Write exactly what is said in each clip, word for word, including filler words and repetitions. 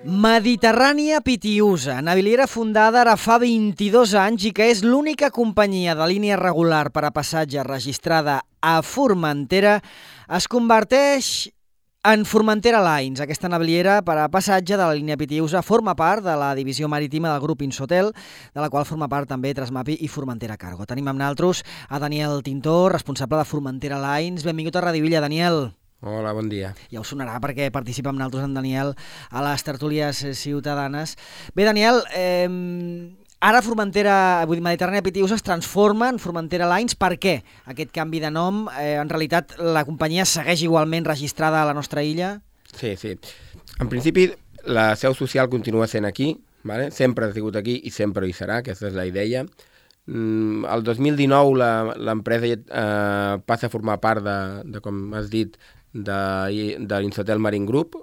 Mediterrània Pitiusa, naviliera fundada ara fa vint-i-dos anys i que és l'única companyia de línia regular per a passatge registrada a Formentera, es converteix en Formentera Lines. Aquesta naviliera per a passatge de la línia Pitiusa forma part de la divisió marítima del grup Insotel, de la qual forma part també Trasmapi i Formentera Cargo. Tenim amb nosaltres a Daniel Tintor, responsable de Formentera Lines. Benvingut a Radio Villa, Daniel. Hola, bon dia. Ja us sonarà perquè participa amb nosaltres en Daniel a les tertúlies ciutadanes. Bé, Daniel, eh, ara Formentera, vull dir, Mediterrània Pitiusa es transforma en Formentera Lines. Per què aquest canvi de nom? Eh, en realitat, la companyia segueix igualment registrada a la nostra illa? Sí, sí. En principi, la seu social continua sent aquí, vale? Sempre ha sigut aquí i sempre hi serà, aquesta és la idea. Mm, el dos mil dinou l'empresa eh, passa a formar part de, de com has dit, de, de l'Insotel Marine Group,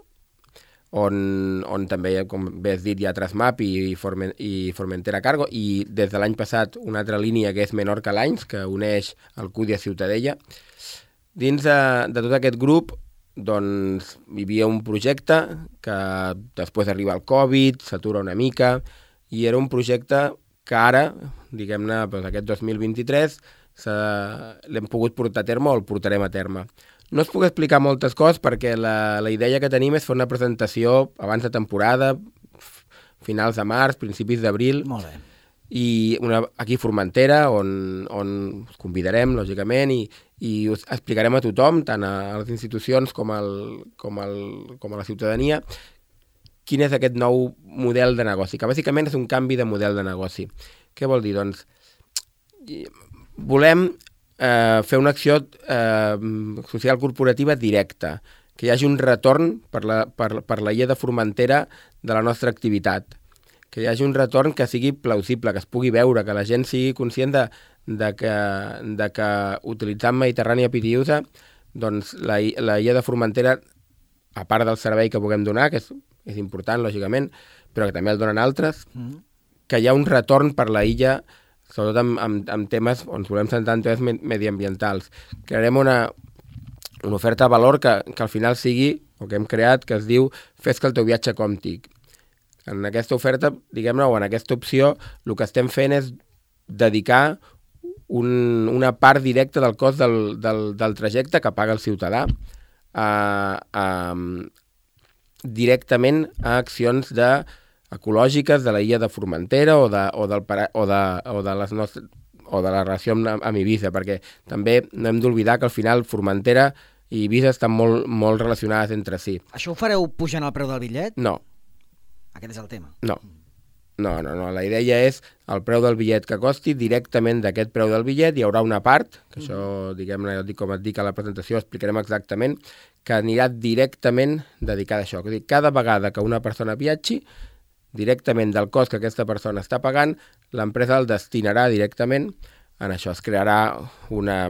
on, on també, com bé has dit, hi ha Trasmapi i, Formen, i Formentera Cargo, i des de l'any passat una altra línia que és Menorca Lines, que uneix Alcúdia a Ciutadella. Dins de, de tot aquest grup, doncs, hi havia un projecte que després arriba el Covid, s'atura una mica, i era un projecte que ara, diguem-ne, doncs aquest dos mil vint-i-tres, l'hem pogut portar a terme o el portarem a terme. No us puc explicar moltes coses perquè la, la idea que tenim és fer una presentació abans de temporada, finals de març, principis d'abril. Molt bé. I una, aquí a Formentera, on, on us convidarem, lògicament, i, i us explicarem a tothom, tant a les institucions com, al, com, al, com a la ciutadania, quin és aquest nou model de negoci, que bàsicament és un canvi de model de negoci. Què vol dir? Doncs, volem eh, fer una acció eh, social corporativa directa, que hi hagi un retorn per la, per, per la illa de Formentera de la nostra activitat, que hi hagi un retorn que sigui plausible, que es pugui veure, que la gent sigui conscient de, de, que, de que utilitzant Mediterrània Pitiusa, doncs la, la illa de Formentera, a part del servei que puguem donar, que és, és important, lògicament, però que també el donen altres, mm. que hi ha un retorn per la illa, sobretot amb, amb, amb temes on ens volem centrar en temes mediambientals. Crearem una, una oferta de valor que, que al final sigui, o que hem creat, que es diu Fes que el teu viatge compti. En aquesta oferta, diguem-ne, o en aquesta opció, el que estem fent és dedicar un, una part directa del cost del, del, del trajecte que paga el ciutadà a, a, directament a accions de ecològiques de la illa de Formentera o de, o del, o de, o de, les nostres, o de la relació amb, amb Eivissa, perquè també no hem d'oblidar que al final Formentera i Eivissa estan molt, molt relacionades entre si. Això ho fareu pujant el preu del bitllet? No. Aquest és el tema? No. No, no, no. La idea és el preu del bitllet que costi, directament d'aquest preu del bitllet hi haurà una part, que mm. això, diguem-ne, com et dic a la presentació, explicarem exactament, que anirà directament dedicada a això. És a dir, cada vegada que una persona viatgi, directament del cost que aquesta persona està pagant, l'empresa el destinarà directament en això. Es crearà una,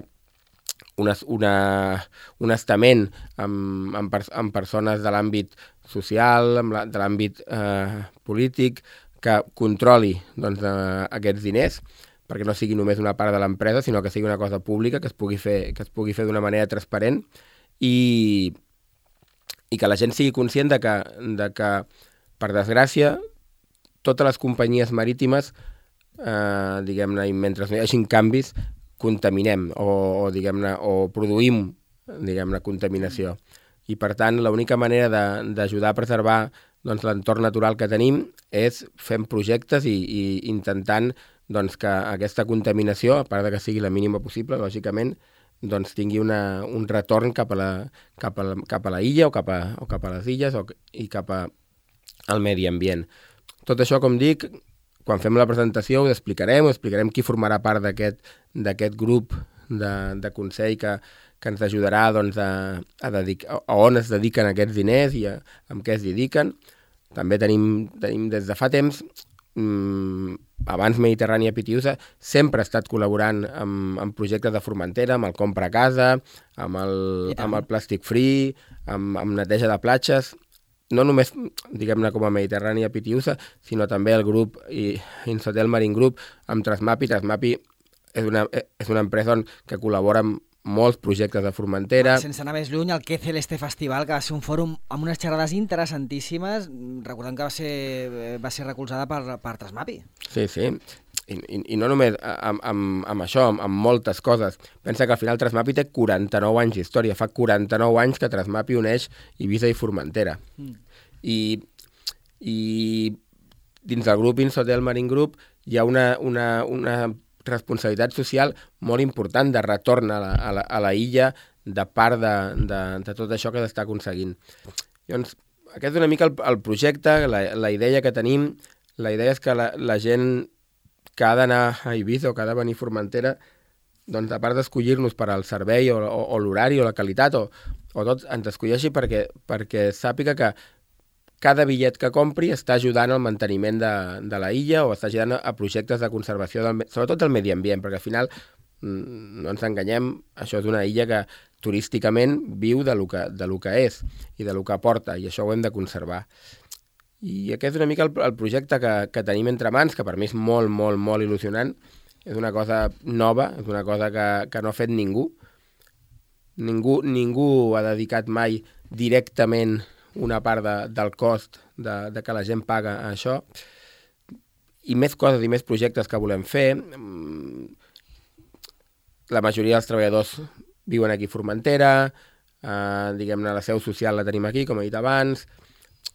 una, una, un estament amb, amb, amb persones de l'àmbit social, amb la, de l'àmbit eh, polític, que controli doncs, eh, aquests diners, perquè no sigui només una part de l'empresa, sinó que sigui una cosa pública, que es pugui fer, que es pugui fer d'una manera transparent i, i que la gent sigui conscient de que, de que per desgràcia, totes les companyies marítimes, eh, diguem-ne, i mentre no hi hagin canvis, contaminem o, o diguem-ne, o produïm, diguem-ne, contaminació. I, per tant, l'única manera d'ajudar a preservar doncs, l'entorn natural que tenim és fent projectes i, i intentant doncs, que aquesta contaminació, a part de que sigui la mínima possible, lògicament, doncs, tingui una, un retorn cap a la, cap a la, cap a la illa o cap a, o cap a les illes o, i cap a, al medi ambient. Tot això, com dic, quan fem la presentació ho explicarem, ho explicarem qui formarà part d'aquest d'aquest grup de, de consell que, que ens ajudarà doncs, a, a, dedicar, a on es dediquen aquests diners i a, amb què es dediquen. També tenim, tenim des de fa temps, mmm, abans Mediterrània Pitiusa, sempre ha estat col·laborant amb, amb projectes de Formentera, amb el Compra a Casa, amb el, amb el Plàstic Free, amb, amb neteja de platges. No només, diguem-ne, com a Mediterrània Pitiusa, sinó també el grup Insotel Marine Group amb Trasmapi. Trasmapi és una, és una empresa on, que col·labora amb molts projectes de Formentera. Sense anar més lluny, el Que Celeste Festival, que va ser un fòrum amb unes xerrades interessantíssimes, recordem que va ser, va ser recolzada per, per Trasmapi. Sí, sí. I, i, i no només amb, amb, amb això, amb, amb moltes coses. Pensa que al final Trasmapi té quaranta-nou anys d'història. Fa quaranta-nou anys que Trasmapi uneix Eivissa i Formentera. Mm. I, I dins del grup Insotel Marine Group hi ha una, una, una responsabilitat social molt important de retorn a la, a la, a la illa de part de, de, de tot això que s'està aconseguint. Llavors, aquest és una mica el, el projecte, la, la idea que tenim. La idea és que la, la gent que ha d'anar a Eivissa o que ha de venir a Formentera, doncs a part d'escollir-nos per al servei o, o, o l'horari o la qualitat o, o tot, ens escolleixi perquè, perquè sàpiga que cada bitllet que compri està ajudant al manteniment de, de la illa o està ajudant a projectes de conservació, del, sobretot del medi ambient, perquè al final, no ens enganyem, això és una illa que turísticament viu de lo que, de lo que és i de lo que aporta, i això ho hem de conservar. I aquest és una mica el, el projecte que, que tenim entre mans, que per mi és molt, molt, molt il·lusionant. És una cosa nova, és una cosa que, que no ha fet ningú. Ningú, ningú ha dedicat mai directament una part de, del cost de, de que la gent paga a això, i més coses i més projectes que volem fer. La majoria dels treballadors viuen aquí a Formentera, eh, diguem-ne, la seu social la tenim aquí, com he dit abans.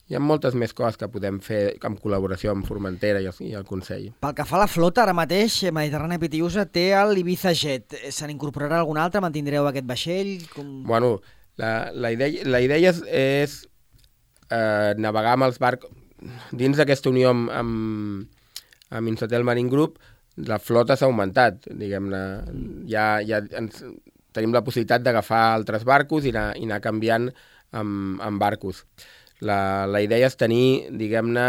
Hi ha moltes més coses que podem fer en col·laboració amb Formentera i el, i el Consell. Pel que fa a la flota, ara mateix, Mediterrània Pitiusa té l'Ibiza Jet. Se n'incorporarà algun altre? Mantindreu aquest vaixell? Com... Bueno, la, la idea, la idea és, és eh, navegar amb els barcos. Dins d'aquesta unió amb, amb, amb Insotel Marine Group, la flota s'ha augmentat, diguem-ne. Ja, ja ens, tenim la possibilitat d'agafar altres barcos i anar, i anar canviant amb, amb barcos. La, la idea és tenir, diguem-ne,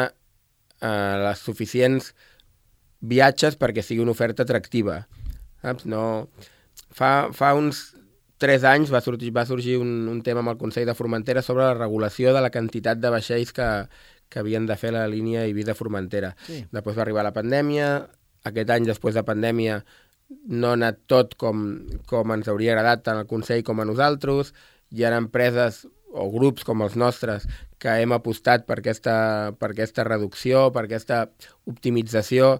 eh, les suficients viatges perquè sigui una oferta atractiva. Saps? No... Fa, fa uns tres anys va sorgir, va sorgir un, un tema amb el Consell de Formentera sobre la regulació de la quantitat de vaixells que, que havien de fer la línia Eivissa-Formentera. Sí. Després va arribar la pandèmia. Aquest any, després de pandèmia, no ha anat tot com, com ens hauria agradat tant al Consell com a nosaltres. Hi ha empreses o grups com els nostres que hem apostat per aquesta, per aquesta reducció, per aquesta optimització,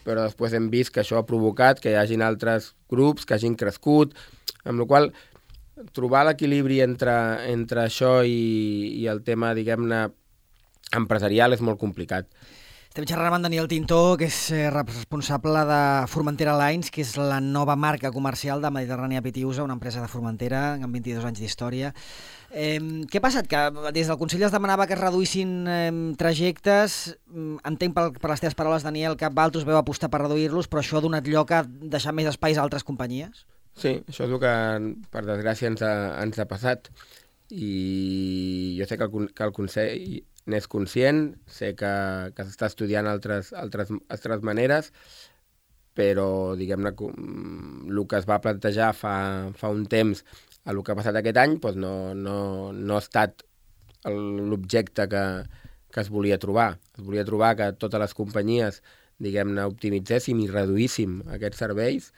però després hem vist que això ha provocat que hi hagin altres grups que hagin crescut, amb la qual cosa trobar l'equilibri entre, entre això i, i el tema, diguem-ne, empresarial és molt complicat. Estem xerrant amb Daniel Tintó, que és responsable de Formentera Lines, que és la nova marca comercial de Mediterrània Pitiusa, una empresa de Formentera amb vint-i-dos anys d'història. Eh, què ha passat? Que des del Consell es demanava que es reduïssin eh, trajectes. Entenc per, per les teves paraules, Daniel, que Valtus veu apostar per reduir-los, però això ha donat lloc a deixar més espais a altres companyies? Sí, això és el que, per desgràcia, ens ha, ens ha passat. I jo sé que el, que el Consell n'és conscient, sé que, que s'està estudiant altres, altres, altres maneres, però, diguem-ne, el que es va plantejar fa, fa un temps a el que ha passat aquest any doncs no, no, no ha estat l'objecte que, que es volia trobar. Es volia trobar que totes les companyies, diguem-ne, optimitzéssim i reduíssim aquests serveis,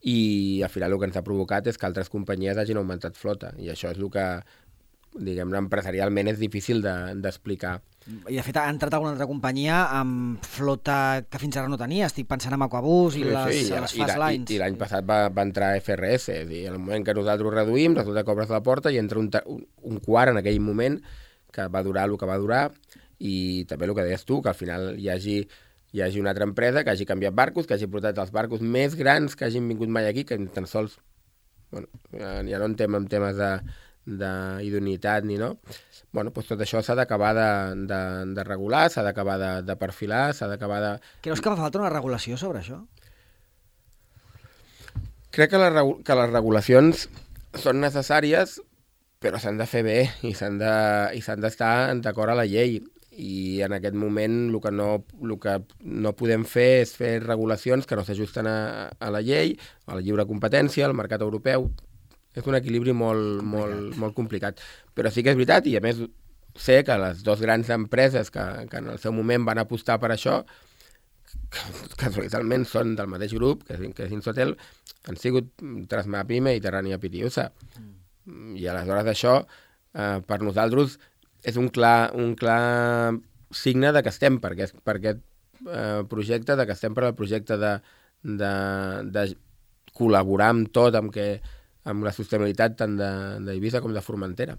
i al final el que ens ha provocat és que altres companyies hagin augmentat flota, i això és el que, diguem-ne, empresarialment és difícil d'explicar. De, I de fet ha entrat alguna altra companyia amb flota que fins ara no tenia. Estic pensant en Aquabus i sí, les, sí, les Fast Lines. I, i l'any passat va, va entrar F R S, i en el moment que nosaltres reduïm, resulta que obres la porta i entra un, un, un quart en aquell moment que va durar el que va durar, i també el que deies tu, que al final hi hagi, hi hagi una altra empresa que hagi canviat barcos, que hagi portat els barcos més grans que hagin vingut mai aquí, que ni tan sols, bueno, ja no entrem en temes de d'idoneïtat ni no. Bueno, doncs tot això s'ha d'acabar de, de, de regular, s'ha d'acabar de, de perfilar, s'ha d'acabar de... Creus que fa falta una regulació sobre això? Crec que, la, que les regulacions són necessàries, però s'han de fer bé i s'han de, i s'han d'estar d'acord a la llei. I en aquest moment el que no, el que no podem fer és fer regulacions que no s'ajusten a, a la llei, a la lliure competència, al mercat europeu. És un equilibri molt, molt, molt complicat. Però sí que és veritat, i a més sé que les dues grans empreses que, que en el seu moment van apostar per això, casualment són del mateix grup, que, que és Insotel, han sigut Trasmap i Mediterrània Pitiusa. Mm. I aleshores això, eh, per nosaltres, és un clar, un clar signe de que estem per aquest, per aquest eh, projecte, de que estem per al projecte de, de, de col·laborar amb tot, amb, que, amb la sostenibilitat tant d'Eivissa com de Formentera.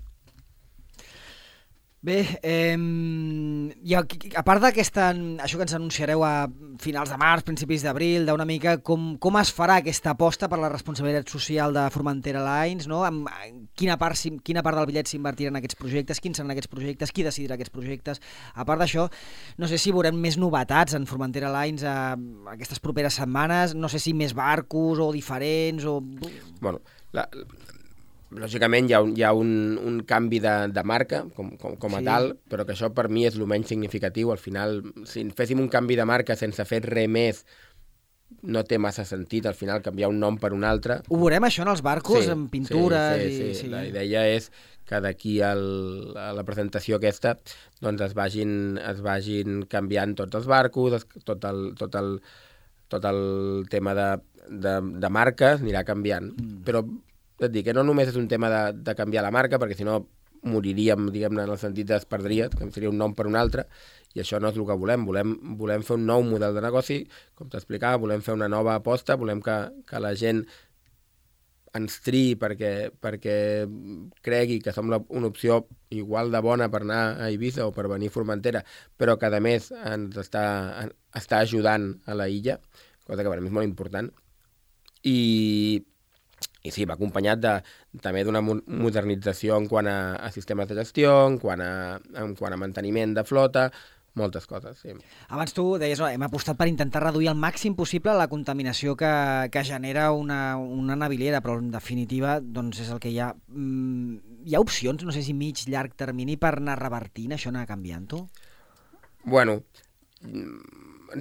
Bé, eh, i a, a part d'aquesta, això que ens anunciareu a finals de març, principis d'abril, d'una mica com, com es farà aquesta aposta per la responsabilitat social de Formentera Lines, no? Amb quina part, quina part del bitllet s'invertirà en aquests projectes, quins seran aquests projectes, qui decidirà aquests projectes. A part d'això, no sé si veurem més novetats en Formentera Lines a, a aquestes properes setmanes, no sé si més barcos o diferents o... Bueno, la... Lògicament hi ha un, hi ha un, un canvi de, de marca com, com, com a sí. tal, però que això per mi és el menys significatiu. Al final, si féssim un canvi de marca sense fer res més, no té massa sentit, al final, canviar un nom per un altre. Ho veurem això en els barcos, sí, en pintures? Sí, sí, i... sí. sí. La idea és que d'aquí a la presentació aquesta doncs es vagin, es vagin canviant tots els barcos, tot el, tot el, tot el tema de, de, de marques anirà canviant. Mm. Però et dic que no només és un tema de, de canviar la marca, perquè si no moriríem, diguem-ne, en el sentit es perdria, que seria un nom per un altre, i això no és el que volem. Volem, volem fer un nou model de negoci, com t'explicava, volem fer una nova aposta, volem que, que la gent ens triï perquè, perquè cregui que som la, una opció igual de bona per anar a Eivissa o per venir a Formentera, però que a més ens està, està ajudant a la illa, cosa que per mi és molt important. I I sí, va acompanyat de, també d'una modernització en quant a, a sistemes de gestió, en quant a, en quant a manteniment de flota, moltes coses, sí. Abans tu deies, no, hem apostat per intentar reduir al màxim possible la contaminació que, que genera una, una naviliera, però en definitiva doncs és el que hi ha. Mm, hi ha opcions, no sé si mig, llarg termini, per anar revertint això, anar canviant-ho? Bueno,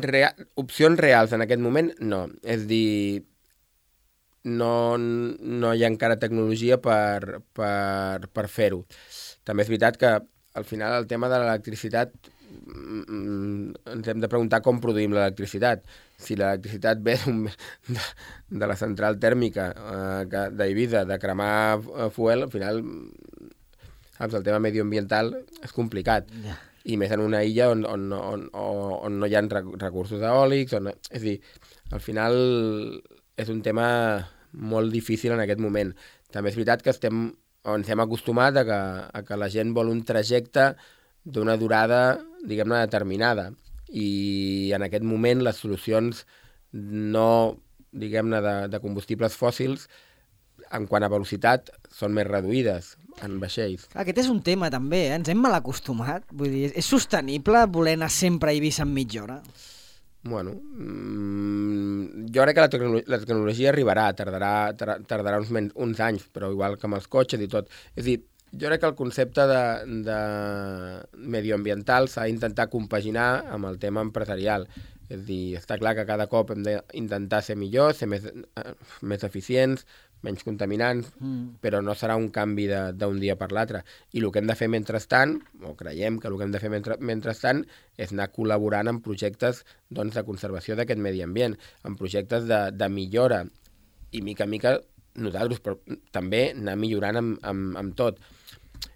rea, opcions reals en aquest moment no. És dir, no, no hi ha encara tecnologia per, per, per fer-ho. També és veritat que al final el tema de l'electricitat ens hem de preguntar com produïm l'electricitat. Si l'electricitat ve de, de la central tèrmica eh, d'Eivissa, de cremar fuel, al final saps, el tema medioambiental és complicat. Yeah. I més en una illa on, on, on, on, on no hi ha recursos eòlics. On, és a dir, al final és un tema molt difícil en aquest moment. També és veritat que estem, ens hem acostumat a que, a que la gent vol un trajecte d'una durada, diguem-ne, determinada. I en aquest moment les solucions no, diguem-ne, de, de combustibles fòssils en quant a velocitat són més reduïdes en vaixells. Aquest és un tema també, eh? Ens hem mal acostumat. Vull dir, és sostenible voler anar sempre a Eivissa en mitja hora? Bueno, mmm, jo crec que la, tecno la tecnologia arribarà, tardarà, tar tardarà uns, uns anys, però igual que amb els cotxes i tot. És a dir, jo crec que el concepte de, de medioambiental s'ha d'intentar compaginar amb el tema empresarial. És a dir, està clar que cada cop hem d'intentar ser millors, ser més, eh, més eficients, menys contaminants, mm. però no serà un canvi d'un dia per l'altre. I el que hem de fer mentrestant, o creiem que el que hem de fer mentre, mentrestant, és anar col·laborant en projectes doncs, de conservació d'aquest medi ambient, en projectes de, de millora, i mica en mica nosaltres, però també anar millorant amb, amb, amb tot.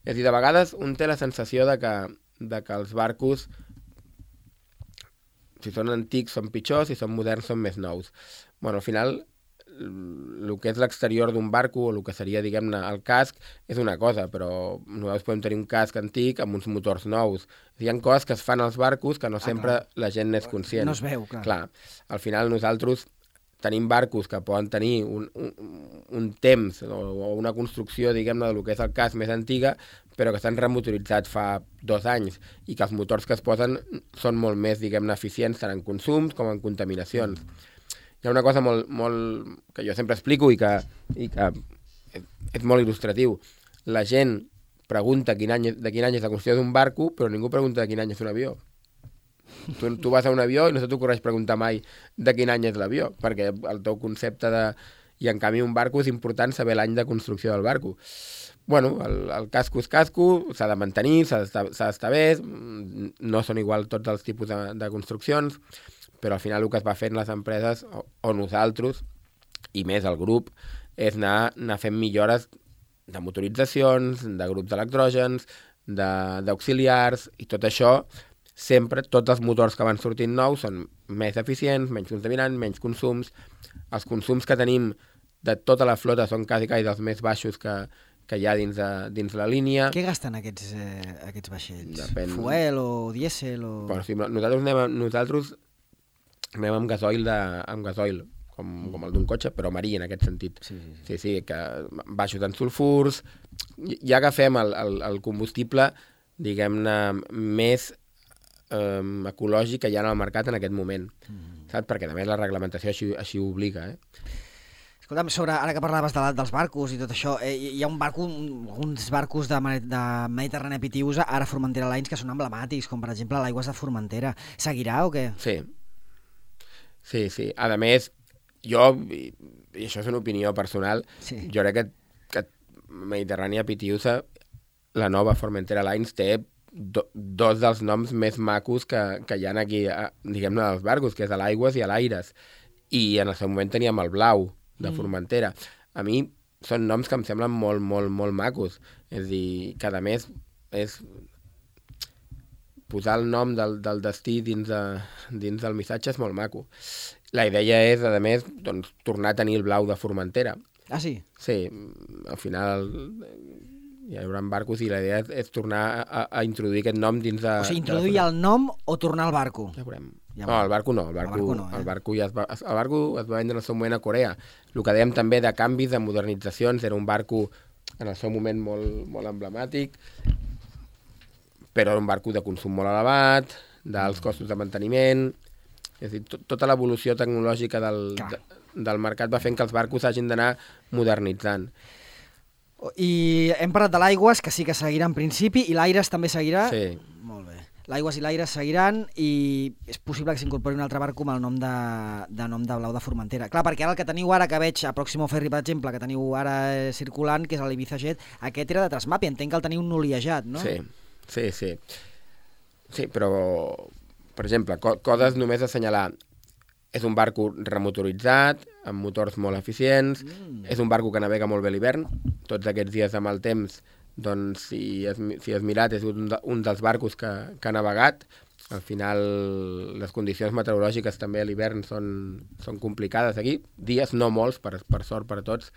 És a dir, de vegades un té la sensació de que, de que els barcos, si són antics són pitjors, si són moderns són més nous. Bueno, al final, el que és l'exterior d'un barco, o el que seria, diguem-ne, el casc, és una cosa, però nosaltres podem tenir un casc antic amb uns motors nous. Hi ha coses que es fan als barcos que no ah, sempre clar. La gent n'és conscient. No es veu, clar. Clar. Al final nosaltres tenim barcos que poden tenir un, un, un temps o, o una construcció, diguem-ne, del que és el casc més antiga, però que s'han remotoritzat fa dos anys i que els motors que es posen són molt més, diguem-ne, eficients tant en consums com en contaminacions. Hi ha una cosa molt, molt, que jo sempre explico i que, i que és, és molt il·lustratiu. La gent pregunta quin any, de quin any és la construcció d'un barco, però ningú pregunta de quin any és un avió. Tu, tu vas a un avió i no se t'ocorreix preguntar mai de quin any és l'avió, perquè el teu concepte de... I en canvi un barco és important saber l'any de construcció del barco. bueno, el, el casco és casco, s'ha de mantenir, s'ha d'estar bé, no són igual tots els tipus de, de construccions, però al final el que es va fer en les empreses, o, o nosaltres, i més el grup, és anar, anar fent millores de motoritzacions, de grups d'electrògens, d'auxiliars, i tot això, sempre, tots els motors que van sortint nous són més eficients, menys contaminants, menys consums. Els consums que tenim de tota la flota són quasi, quasi dels més baixos que, que hi ha dins, de, dins la línia. Què gasten aquests, eh, aquests vaixells? Depèn. Fuel o dièsel? O... Bueno, sí, nosaltres anem, nosaltres anem amb gasoil, de, amb gasoil com, com el d'un cotxe, però marí en aquest sentit. Sí, sí, sí. Sí, sí, que baixos en sulfurs. Ja agafem el, el, el combustible, diguem-ne, més eh, ecològic que hi ha en el mercat en aquest moment. Mm. Saps? Perquè, a més, la reglamentació així, així ho obliga, eh? Escolta'm, sobre, ara que parlaves de, dels barcos i tot això, eh, hi ha un barco, uns barcos de, de Mediterrània Pitiusa, ara Formentera Lines, que són emblemàtics, com per exemple l'Aigües de Formentera. Seguirà o què? Sí. Sí, sí. A més, jo, i, i això és una opinió personal, sí. Jo crec que, que Mediterrània Pitiusa, la nova Formentera Lines, té do, dos dels noms més macos que, que hi ha aquí, diguem-ne, dels barcos, que és a l'Aigües i a l'Aires. I en el seu moment teníem el Blau, de Formentera. A mi són noms que em semblen molt, molt, molt macos. És a dir, cada mes és posar el nom del, del destí dins, de, dins del missatge és molt maco. La idea és, a més, doncs, tornar a tenir el Blau de Formentera. Ah, sí? Sí, al final hi haurà barcos i la idea és, és tornar a, a introduir aquest nom dins de... O sigui, introduir de el nom o tornar al barco? Ja veurem. Ja no, el barco no, el barco, el barco, no, eh? el barco ja es va, el barco es va vendre en el seu moment a Corea. El que dèiem també de canvis, de modernitzacions, era un barco en el seu moment molt, molt emblemàtic, però era un barco de consum molt elevat, d'alts costos de manteniment, és a dir, to, tota l'evolució tecnològica del, de, del mercat va fent que els barcos hagin d'anar modernitzant. I hem parlat de l'Aigües, que sí que seguirà en principi, i l'Aires també seguirà? Sí. Molt bé. L'Aigües i l'Aires seguiran i és possible que s'incorpori un altre barco amb el nom de, de nom de Blau de Formentera. Clar, perquè ara el que teniu ara, que veig a Próximo Ferry, per exemple, que teniu ara eh, circulant, que és l'Ibiza Jet, aquest era de Transmapi, entenc que el teniu noliejat, no? Sí, sí, sí. Sí, però, per exemple, co coses només a assenyalar. És un barco remotoritzat, amb motors molt eficients, mm. és un barco que navega molt bé l'hivern, tots aquests dies amb el temps, doncs si has, si has mirat és un, de, un dels barcos que, que ha navegat. Al final les condicions meteorològiques també a l'hivern són, són complicades aquí, dies no molts, per, per sort per a tots,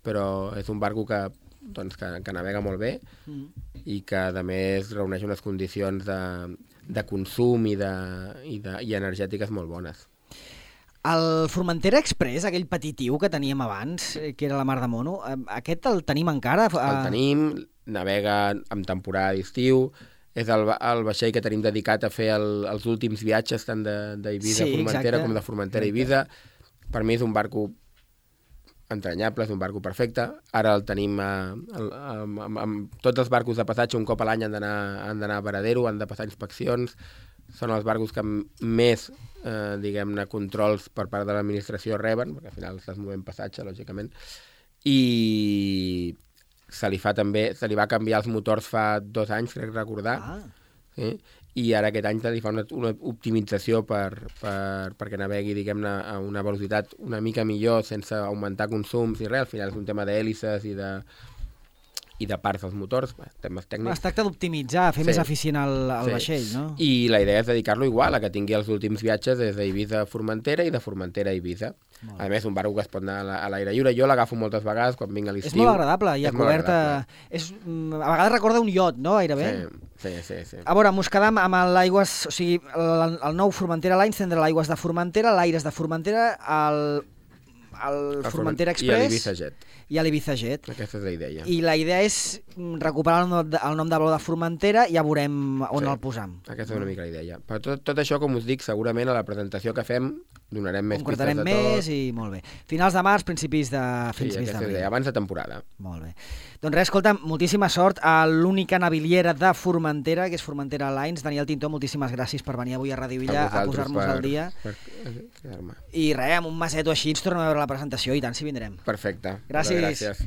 però és un barco que, doncs, que, que navega molt bé mm. i que a més reuneix unes condicions de, de consum i, de, i, de, i energètiques molt bones. El Formentera Express, aquell petitiu que teníem abans, que era la Mar de Mono, aquest el tenim encara? El tenim, navega en temporada d'estiu, és el, el vaixell que tenim dedicat a fer el, els últims viatges tant d'Eivissa sí, a Formentera com de Formentera a Eivissa. Per mi és un barco entranyable, és un barco perfecte. Ara el tenim amb, amb, amb, amb tots els barcos de passatge un cop a l'any han d'anar a Varadero, han de passar inspeccions. Són els barcos que més, eh, diguem-ne, controls per part de l'administració reben, perquè al final estàs movent passatge, lògicament, i se li fa també, se li va canviar els motors fa dos anys, crec recordar, ah. sí? I ara aquest any se li fa una, una optimització per, per, perquè navegui, diguem-ne, a una velocitat una mica millor, sense augmentar consums i res. Al final és un tema d'hèlices i de... i de parts dels motors, temes tècnics. Es tracta d'optimitzar, fer sí. més eficient el, el sí. vaixell, no? I la idea és dedicar-lo igual, a que tingui els últims viatges des d'Eivissa a Formentera i de Formentera a Eivissa. A més, un barco que es pot anar a l'aire lliure. Jo l'agafo moltes vegades quan vinc a l'estiu. És molt agradable, i a coberta... És, a vegades recorda un iot, no? Gairebé. Sí, sí, sí. sí. A veure, mos quedam amb l'Aigües... O sigui, el, el nou Formentera Lines tindrà l'Aigües de Formentera, l'Aires de Formentera, el... el Formentera Express... I l'Ibiza Jet. I a l'Ibiza Jet. Aquesta és la idea. I la idea és recuperar el nom de, el nom de Blau de Formentera i ja veurem on sí, el posam. Aquesta és una mica la idea. Però tot, tot això, com us dic, segurament a la presentació que fem donarem més pistes de tot. Més i molt bé. Finals de març, principis de fins sí, d'abril. Sí, abans de temporada. Molt bé. Doncs res, escolta, moltíssima sort a l'única naviliera de Formentera, que és Formentera Lines. Daniel Tintó, moltíssimes gràcies per venir avui a Ràdio Villa a, a posar-nos al dia. Per, per I res, amb un maset o així ens tornem a veure la presentació i tant si vindrem. Perfecte. Gràcies. Gràcies.